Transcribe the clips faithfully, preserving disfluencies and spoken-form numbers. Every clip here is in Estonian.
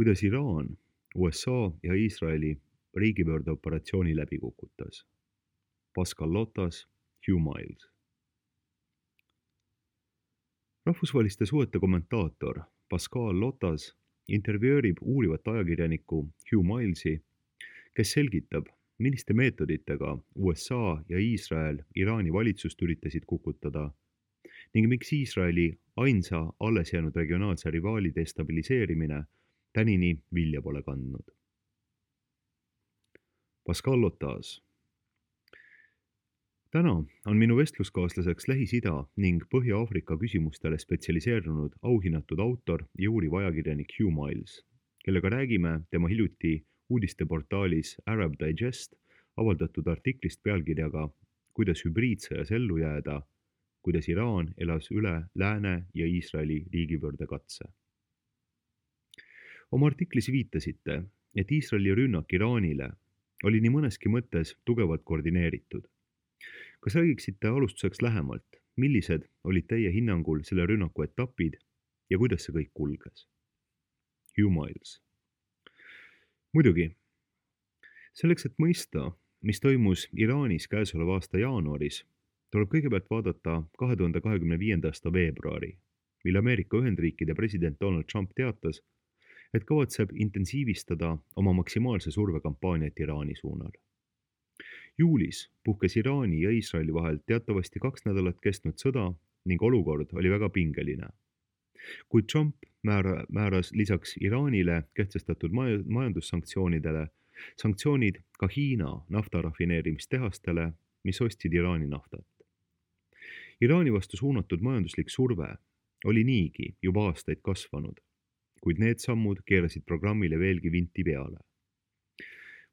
kuidas Iraan U S A ja Iisraeli riigipöördeoperatsiooni läbi kukutas. Pascal Lotas, Hugh Miles. Rahvusvaheliste suhete kommentaator Pascal Lotas intervjöörib uurivat ajakirjanikku Hugh Milesi, kes selgitab, milliste meetoditega U S A ja Iisrael Iraani valitsust üritasid kukutada ning miks Iisraeli ainsa alles jäänud regionaalse rivaali destabiliseerimine tänini vilja pole kandnud. Pascal Lotas. Täna on minu vestluskaaslaseks Lähis-Ida ning Põhja-Aafrika küsimustele spetsialiseerunud auhinnatud autor ja uuriv ajakirjanik Hugh Miles, kellega räägime tema hiljuti uudisteportaalis Arab Digest avaldatud artiklist pealkirjaga Kuidas hübriidsõjas ellu jääda, kuidas Iraan elas üle Lääne ja Iisraeli riigipöördekatse. Oma artiklis viitasite, et Iisraeli rünnak Iraanile oli nii mõneski mõttes tugevalt koordineeritud. Kas räägiksite alustuseks lähemalt, millised olid teie hinnangul selle rünnaku etapid ja kuidas see kõik kulges? Hugh Miles. Muidugi, selleks, et mõista, mis toimus Iraanis käesoleva aasta jaanuaris, tuleb kõigepealt vaadata kahe tuhande kahekümne viienda aasta veebruari, mil Ameerika Ühendriikide president Donald Trump teatas, et kavatseb intensiivistada oma maksimaalse survekampaaniat Iraani suunal. Juulis puhkes Iraani ja Iisraeli vahel teatavasti kaks nädalat kestnud sõda ning olukord oli väga pingeline. Kuid Trump määra, määras lisaks Iraanile kehtestatud maj- majandussanktsioonidele sanktsioonid ka Hiina naftarafineerimistehastele, mis ostsid Iraani naftat. Iraani vastu suunatud majanduslik surve oli niigi juba aastaid kasvanud, kuid need sammud keerasid programmile veelgi vinti peale.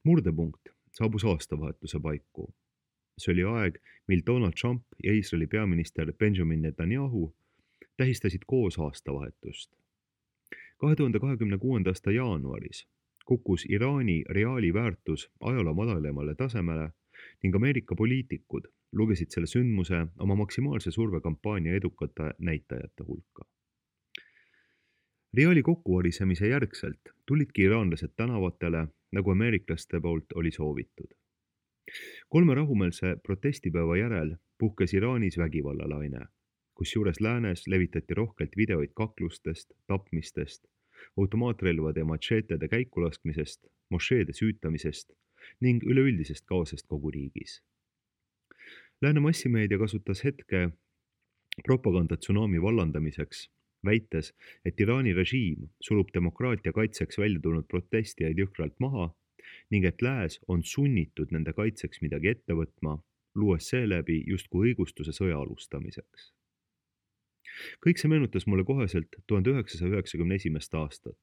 Murdepunkt saabus aastavahetuse paiku. See oli aeg, mil Donald Trump ja Iisraeli peaminister Benjamin Netanyahu tähistasid koos aastavahetust. kahe tuhande kahekümne kuuenda aasta jaanuaris kukkus Iraani reaali väärtus ajaloo madalamale tasemele ning Ameerika poliitikud lugesid selle sündmuse oma maksimaalse survekampaania edukate näitajate hulka. Reaali kokkuvarisemise järgselt tulidki iraanlased tänavatele, nagu ameeriklaste poolt oli soovitud. Kolme rahumeelse protestipäeva järel puhkes Iraanis vägivallalaine, kusjuures läänes levitati rohkelt videoid kaklustest, tapmistest, automaatrelvade ja matšeetede käikulaskmisest, mošeede süütamisest ning üleüldisest kaosest kogu riigis. Lääne massimeedia kasutas hetke propagandatsunami vallandamiseks, väites, et Iraani režiim surub demokraatia kaitseks välja tulnud protestijaid jõhkralt maha ning et lääs on sunnitud nende kaitseks midagi ette võtma, luues seeläbi justkui õigustuse sõja alustamiseks. Kõik see meenutas mulle koheselt tuhande üheksasaja üheksakümne esimest aastat,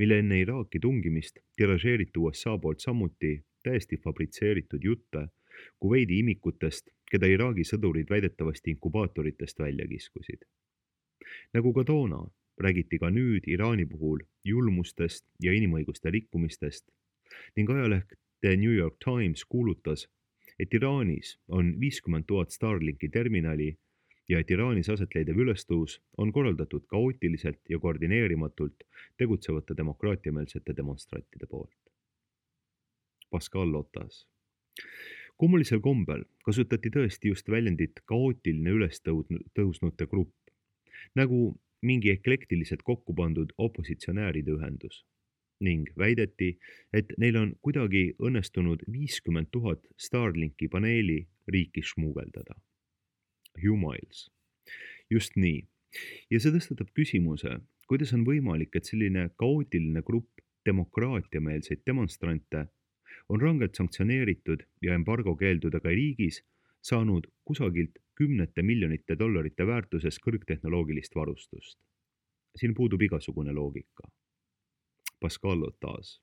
mille enne Iraaki tungimist tiražeeriti U S A poolt samuti täiesti fabritseeritud jutte Kuveidi imikutest, keda Iraagi sõdurid väidetavasti inkubaatoritest välja kiskusid. Nagu ka toona, räägiti ka nüüd Iraani puhul julmustest ja inimõiguste rikkumistest ning ajaleht The New York Times kuulutas, et Iraanis on viiskümmend tuhat Starlinki terminali ja et Iraanis asetleidev ülestõus on korraldatud kaootiliselt ja koordineerimatult tegutsevate demokraatiameelsete demonstrantide poolt. Pascal Lotas. Kummulisel kombel kasutati tõesti just väljendit kaootiline ülestõusnute grupp, nagu mingi eklektiliselt kokku pandud opositsionääride ühendus ning väideti, et neil on kuidagi õnnestunud viiskümmend tuhat Starlinki paneeli riiki šmuugeldada. Hugh Miles. Just nii. Ja see tõstatab küsimuse, kuidas on võimalik, et selline kaootiline grupp demokraatiameelseid demonstrante on rangelt sanktsioneeritud ja embargo keeldudega riigis saanud kusagilt kümnete miljonite dollarite väärtuses kõrgtehnoloogilist varustust. Siin puudub igasugune loogika. Pascal Lotas.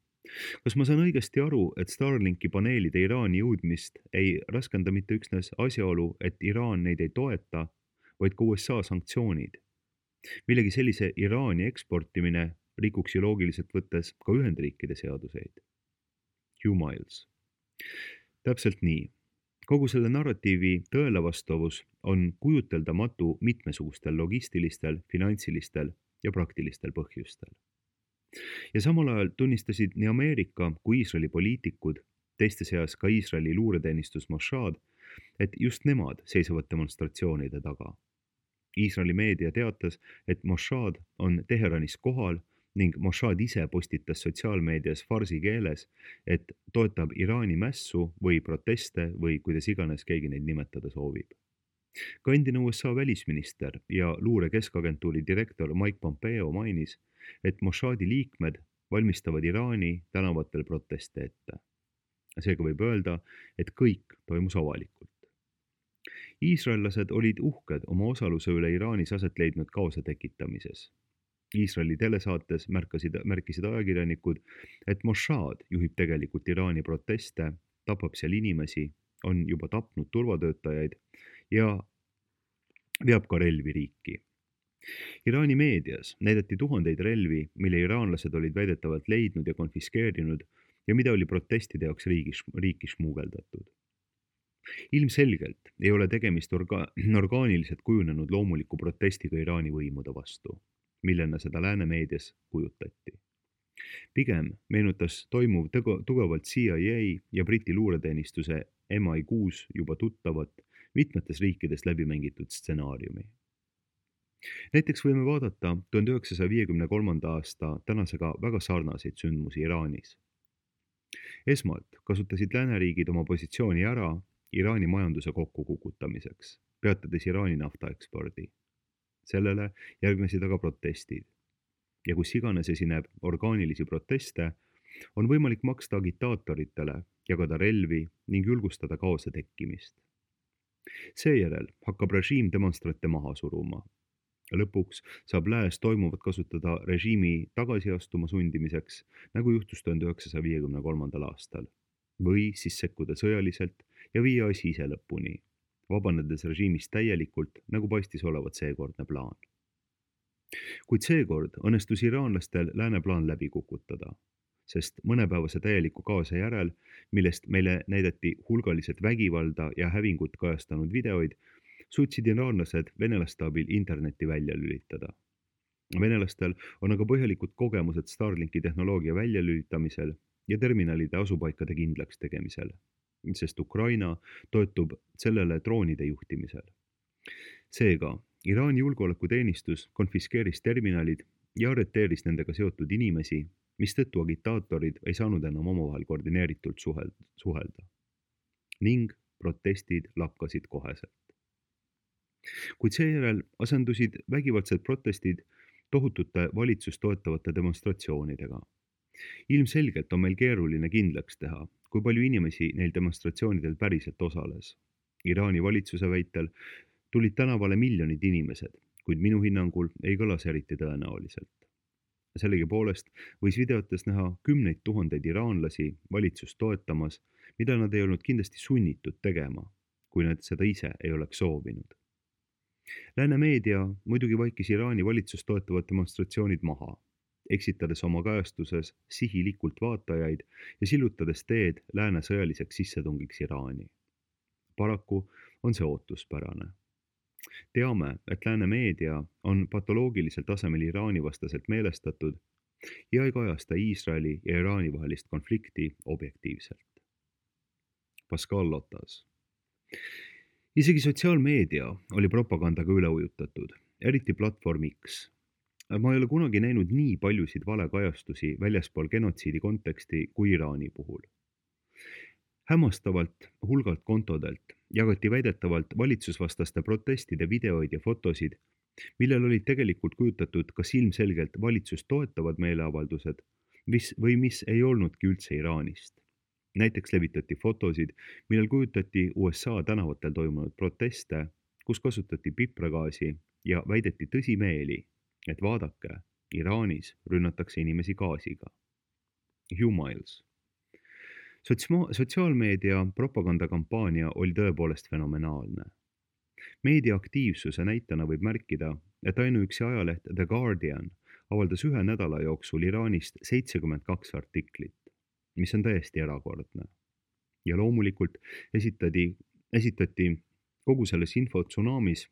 Kas ma saan õigesti aru, et Starlinki paneelide Iraani jõudmist ei raskenda mitte üksnes asjaolu, et Iraan neid ei toeta, vaid ka U S A sanktsioonid? Millegi sellise Iraani eksportimine rikuks ju loogiliselt võttes ka Ühendriikide seaduseid. Hugh Miles. Täpselt nii. Kogu selle narratiivi tõele vastavus on kujuteldamatu mitmesugustel logistilistel, finantsilistel ja praktilistel põhjustel. ja samal ajal tunnistasid nii Ameerika kui Iisraeli poliitikud, teiste seas ka Iisraeli luureteenistus Mossad, et just nemad seisavad demonstratsioonide taga. Iisraeli meedia teatas, et Mossad on Teheranis kohal ning Mossad ise postitas sotsiaalmeedias farsi keeles, et toetab Iraani mässu või proteste või kuidas iganes keegi neid nimetada soovib. Ka endine U S A välisminister ja luure keskagentuuri direktor Mike Pompeo mainis, et Mossadi liikmed valmistavad Iraani tänavatel proteste ette. Seega võib öelda, et kõik toimus avalikult. Iisraellased olid uhked oma osaluse üle Iraanis aset leidnud kaose tekitamises. Iisraeli telesaates märkasid, märkisid ajakirjanikud, et Mossad juhib tegelikult Iraani proteste, tapab seal inimesi, on juba tapnud turvatöötajaid ja veab ka relvi riiki. Iraani meedias näidati tuhandeid relvi, mille iraanlased olid väidetavalt leidnud ja konfiskeerinud ja mida oli protestide jaoks riigis, riiki šmugeldatud. Ilmselgelt ei ole tegemist orga, orgaaniliselt kujunenud loomuliku protestiga Iraani võimude vastu, millena seda lääne meedias kujutati. Pigem meenutas toimuv tugevalt C I A ja Briti luureteenistuse M I kuus juba tuttavat mitmetes riikides läbi mängitud stsenaariumi. Näiteks võime vaadata tuhande üheksasaja viiekümne kolmanda aasta tänasega väga sarnaseid sündmusi Iraanis. Esmalt kasutasid lääneriigid oma positsiooni ära Iraani majanduse kokkukukutamiseks, peatades Iraani naftaekspordi. Sellele järgnesid aga protestid. Ja kus iganes esineb orgaanilisi proteste, on võimalik maksta agitaatoritele, jagada relvi ning julgustada kaose tekkimist. Seejärel hakkab režiim demonstrante maha suruma. Lõpuks saab lääs toimuvat kasutada režiimi tagasiastuma sundimiseks, nagu juhtus tuhande üheksasaja viiekümne kolmandal aastal, või siis sekkuda sõjaliselt ja viia asi ise lõpuni, vabanedes režiimist täielikult, nagu paistis olevat seekordne plaan. Kuid seekord õnnestus iraanlastel lääne plaan läbi kukutada, sest mõnepäevase täieliku kaose järel, millest meile näidati hulgaliselt vägivalda ja hävingut kajastanud videoid, suutsid iraanlased venelaste abil interneti välja lülitada. Venelastel on aga põhjalikud kogemused Starlinki tehnoloogia väljalülitamisel ja terminalide asupaikade kindlaks tegemisel, sest Ukraina toetub sellele droonide juhtimisel. Seega, Iraani julgeolekuteenistus konfiskeeris terminalid ja arreteeris nendega seotud inimesi, mistõttu agitaatorid ei saanud enam omavahel koordineeritult suhelda. Ning protestid lakkasid koheselt. Kuid seejärel asendusid vägivaldsed protestid tohutute valitsust toetavate demonstratsioonidega. Ilmselgelt on meil keeruline kindlaks teha, kui palju inimesi neil demonstratsioonidel päriselt osales. Iraani valitsuse väitel tulid tänavale miljonid inimesed, kuid minu hinnangul ei kõlas eriti tõenäoliselt. Sellegi poolest võis videotes näha kümneid tuhandeid iraanlasi valitsust toetamas, mida nad ei olnud kindlasti sunnitud tegema, kui nad seda ise ei oleks soovinud. Lääne meedia muidugi vaikis Iraani valitsust toetavad demonstratsioonid maha, eksitades oma kajastuses sihilikult vaatajaid ja sillutades teed lääne sõjaliseks sissetungiks Iraani. Paraku on see ootuspärane. Teame, et lääne meedia on patoloogilisel tasemel Iraani vastaselt meelestatud ja ei kajasta Iisraeli ja Iraani vahelist konflikti objektiivselt. Pascal Lotas. Isegi sotsiaalmeedia oli propagandaga üle ujutatud, eriti platvorm X. Ma ei ole kunagi näinud nii paljusid valekajastusi väljaspool genotsiidi konteksti kui Iraani puhul. Hämmastavalt hulgalt kontodelt jagati väidetavalt valitsusvastaste protestide videoid ja fotosid, millel olid tegelikult kujutatud kas ilmselgelt valitsust toetavad meeleavaldused mis, või mis ei olnudki üldse Iraanist. Näiteks levitati fotosid, millel kujutati U S A tänavatel toimunud proteste, kus kasutati pipragaasi ja väideti tõsimeeli, et vaadake, Iraanis rünnatakse inimesi gaasiga. Humiles. Sotsma- sotsiaalmeedia propagandakampaania oli tõepoolest fenomenaalne. Meedia aktiivsuse näitena võib märkida, et ainuüksi ajaleht The Guardian avaldas ühe nädala jooksul Iraanist seitsekümmend kaks artiklit, mis on täiesti erakordne. Ja loomulikult esitati, esitati kogu selles infotsunamis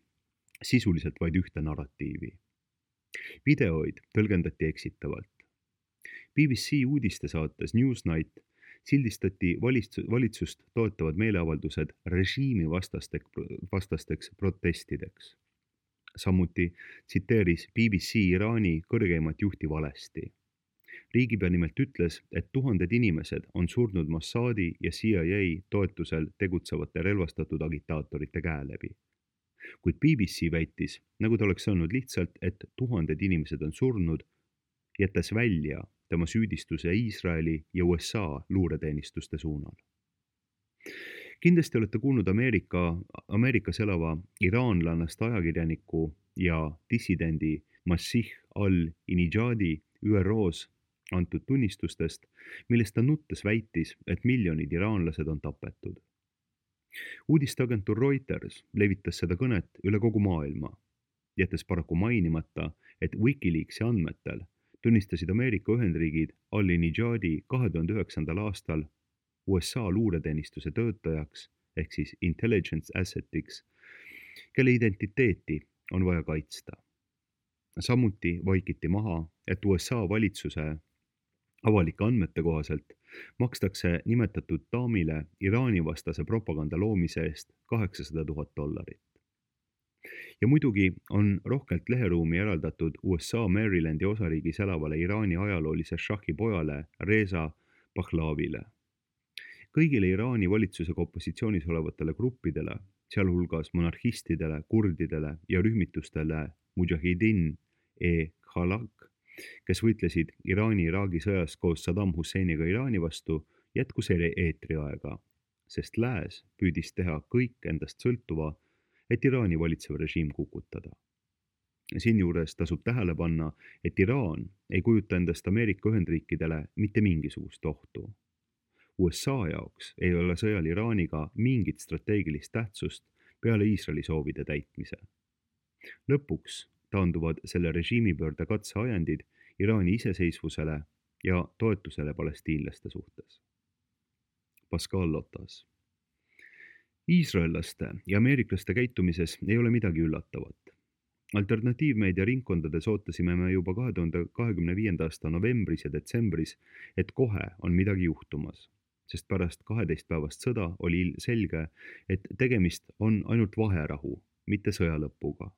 sisuliselt vaid ühte narratiivi. Videoid tõlgendati eksitavalt. B B C uudistesaates Newsnight sildistati valitsus, valitsust toetavad meeleavaldused režiimi vastastek, vastasteks protestideks. Samuti tsiteeris B B C Iraani kõrgeimat juhti valesti. Riigipea nimelt ütles, et tuhanded inimesed on surnud Mossadi ja C I A toetusel tegutsevate relvastatud agitaatorite käe läbi. Kuid B B C väitis, nagu ta oleks öelnud lihtsalt, et tuhanded inimesed on surnud, jättes välja tema süüdistuse Iisraeli ja U S A luureteenistuste suunal. Kindlasti olete kuulnud Ameerika, Ameerikas elava iraanlannast ajakirjaniku ja dissidendi Masih al-Inijadi Ü R O-s antud tunnistustest, millest ta nuttes väitis, et miljonid iraanlased on tapetud. Uudisteagentuur Reuters levitas seda kõnet üle kogu maailma, jättes paraku mainimata, et Wikileaksi andmetel tunnistasid Ameerika Ühendriigid al-Inijadi kahe tuhande üheksandal aastal U S A luureteenistuse töötajaks ehk siis intelligence assetiks, kelle identiteeti on vaja kaitsta. Samuti vaikiti maha, et U S A valitsuse avalike andmete kohaselt makstakse nimetatud daamile Iraani vastase propaganda loomise eest kaheksasada tuhat dollarit. Ja muidugi on rohkelt leheruumi eraldatud U S A Marylandi osariigis elavale Iraani ajaloolise šahhi pojale Reza Pahlaavile. Kõigile Iraani valitsusega opositsioonis olevatele gruppidele, sealhulgas monarhistidele, kurdidele ja rühmitustele Mujahidin e Khalaq, kes võitlesid Iraani-Iraagi sõjas koos Saddam Husseiniga Iraani vastu, jätkus eetriaega, sest lääs püüdis teha kõik endast sõltuva, et Iraani valitsev režiim kukutada. Siinjuures tasub tähele panna, et Iraan ei kujuta endast Ameerika Ühendriikidele mitte mingisugust ohtu. U S A jaoks ei ole sõjal Iraaniga mingit strateegilist tähtsust peale Iisraeli soovide täitmise. Lõpuks taanduvad selle režiimipöörde katseajendid Iraani iseseisvusele ja toetusele palestiinlaste suhtes. Pascal Lotas. Iisraellaste ja ameeriklaste käitumises ei ole midagi üllatavat. Alternatiivmeedia ringkondades ootasime me juba kahe tuhande kahekümne viienda aasta novembris ja detsembris, et kohe on midagi juhtumas, sest pärast kaheteist päevast sõda oli selge, et tegemist on ainult vaherahu, mitte sõja lõpuga.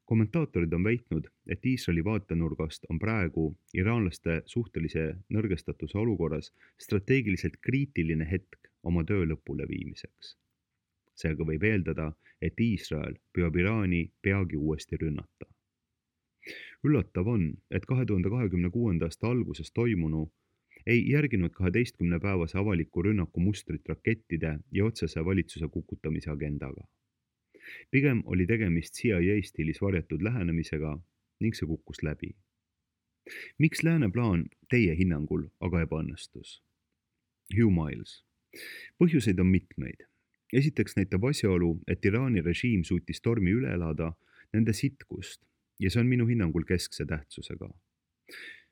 Kommentaatorid on väitnud, et Iisraeli vaatenurgast on praegu iraanlaste suhtelise nõrgestatuse olukorras strateegiliselt kriitiline hetk oma töö lõpule viimiseks. Seega võib eeldada, et Iisrael püüab Iraani peagi uuesti rünnata. Üllatav on, et kahe tuhande kahekümne kuuenda aasta alguses toimunu ei järginud kaheteistkümne päevase avaliku rünnaku mustrit rakettide ja otsese valitsuse kukutamise agendaga. Pigem oli tegemist C I A stiilis varjatud lähenemisega ning see kukkus läbi. Miks lääne plaan teie hinnangul aga ebaõnnestus? Hugh Miles. Põhjuseid on mitmeid. Esiteks näitab asjaolu, et Iraani režiim suutis tormi üle elada nende sitkust ja see on minu hinnangul keskse tähtsusega.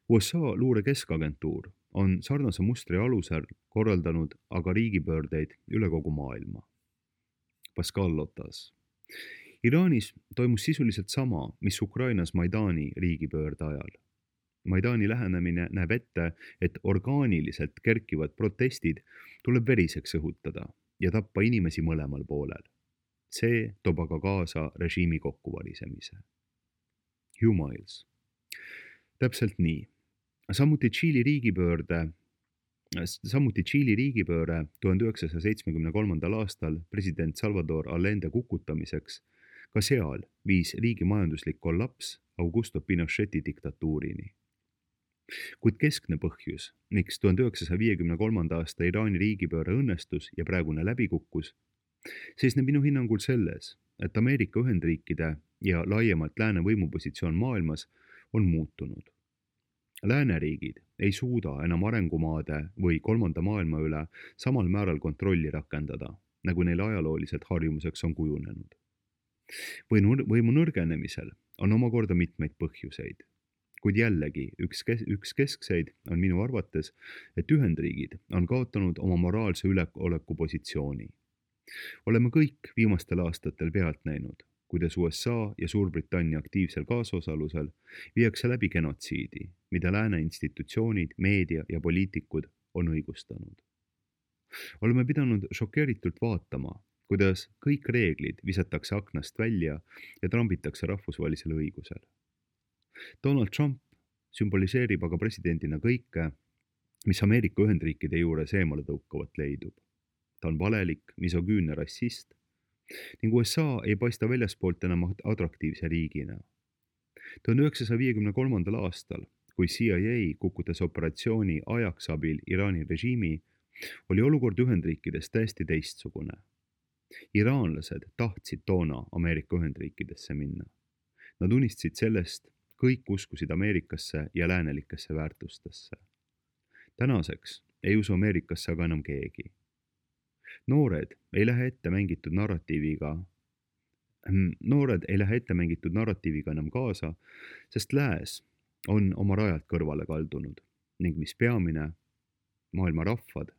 U S A luure keskagentuur on sarnase mustri alusel korraldanud aga riigipöördeid üle kogu maailma. Pascal Lotas. Iraanis toimus sisuliselt sama, mis Ukrainas Maidani riigipöörde ajal. Maidani lähenemine näeb ette, et orgaaniliselt kerkivad protestid tuleb veriseks õhutada ja tappa inimesi mõlemal poolel. See toob aga kaasa režiimi kokkuvalisemise. Hugh Miles. Täpselt nii. Samuti Tšiili riigipöörde, samuti Tšiili riigipööre tuhande üheksasaja seitsmekümne kolmandal aastal president Salvador Allende kukutamiseks, ka seal viis riigi majanduslik kollaps Augusto Pinocheti diktatuurini. Kuid keskne põhjus, miks tuhande üheksasaja viiekümne kolmanda aasta Iraani riigipööre õnnestus ja praegune läbikukkus, seisneb minu hinnangul selles, et Ameerika Ühendriikide ja laiemalt lääne võimupositsioon maailmas on muutunud. Lääneriigid ei suuda enam arengumaade või kolmanda maailma üle samal määral kontrolli rakendada, nagu neil ajalooliselt harjumuseks on kujunenud. Võimu nõrgenemisel on omakorda mitmeid põhjuseid, kuid jällegi üks, kes, üks keskseid on minu arvates, et Ühendriigid on kaotanud oma moraalse üleoleku positsiooni. Oleme kõik viimastel aastatel pealt näinud, kuidas U S A ja Suurbritannia aktiivsel kaasosalusel viiakse läbi genotsiidi, mida lääne institutsioonid, meedia ja poliitikud on õigustanud. Oleme pidanud šokeeritult vaatama, kuidas kõik reeglid visatakse aknast välja ja trambitakse rahvusvahelisel õigusel. Donald Trump sümboliseerib aga presidendina kõike, mis Ameerika Ühendriikide juures eemale tõukavat leidub. Ta on valelik, misogüünne rassist ning U S A ei paista väljaspoolt enam atraktiivse riigina. tuhande üheksasaja viiekümne kolmandal aastal, kui C I A kukutas operatsiooni ajaks abil Iraani režiimi, oli olukord Ühendriikides täiesti teistsugune. Iraanlased tahtsid toona Ameerika Ühendriikidesse minna. Nad unistasid sellest, kõik uskusid Ameerikasse ja läänelikesse väärtustesse. Tänaseks ei usu Ameerikasse aga enam keegi. Noored ei lähe ette mängitud narratiiviga, noored ei lähe ette mängitud narratiiviga enam kaasa, sest lääs on oma rajalt kõrvale kaldunud ning mis peamine, maailma rahvad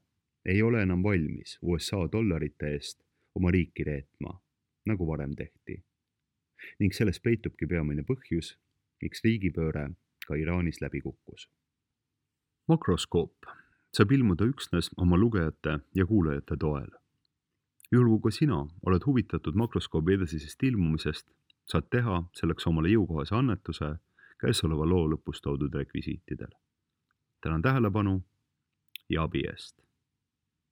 ei ole enam valmis U S A dollarite eest oma riiki reetma, nagu varem tehti. Ning selles peitubki peamine põhjus, miks riigipööre ka Iraanis läbi kukkus. Makroskoop saab ilmuda üksnes oma lugejate ja kuulajate toel. Juhul kui ka sina oled huvitatud makroskoobi edasisest ilmumisest, saad teha selleks omale jõukohase annetuse käesoleva loo lõpus toodud rekvisiitidel. Tänan tähelepanu ja abi eest!